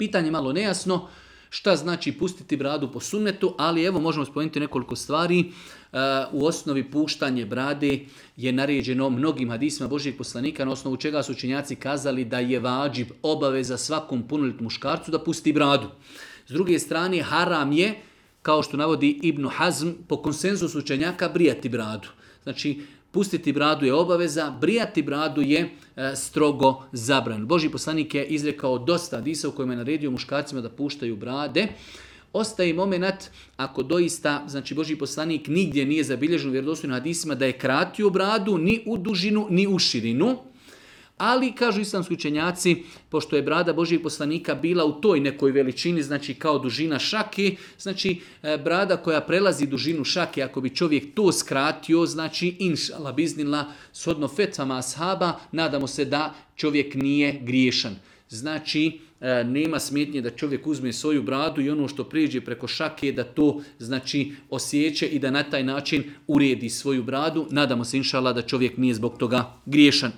Pitanje je malo nejasno. Šta znači pustiti bradu po sunnetu, ali evo možemo spomenuti nekoliko stvari. U osnovi puštanje brade je naređeno mnogim hadisima Božijeg poslanika, na osnovu čega su učenjaci kazali da je vađib, obaveza svakom punoljetnom muškarcu da pusti bradu. S druge strane, haram je, kao što navodi Ibn Hazm, po konsenzusu učenjaka brijati bradu. Znači, pustiti bradu je obaveza, brijati bradu je strogo zabranjeno. Božji poslanik je izrekao dosta hadisa u kojima je naredio muškarcima da puštaju brade. Ostaje moment ako doista, znači Božji poslanik nigdje nije zabilježen u vjerodostojnim hadisima da je kratio bradu ni u dužinu ni u širinu. Ali, kažu islamski učenjaci, pošto je brada Božijeg poslanika bila u toj nekoj veličini, znači kao dužina šake, znači brada koja prelazi dužinu šake, ako bi čovjek to skratio, znači inšala biznila, shodno fetvama ashaba, nadamo se da čovjek nije griješan. Znači, nema smetnje da čovjek uzme svoju bradu i ono što prijeđe preko šake da to znači osjeće i da na taj način uredi svoju bradu. Nadamo se inšala da čovjek nije zbog toga griješan.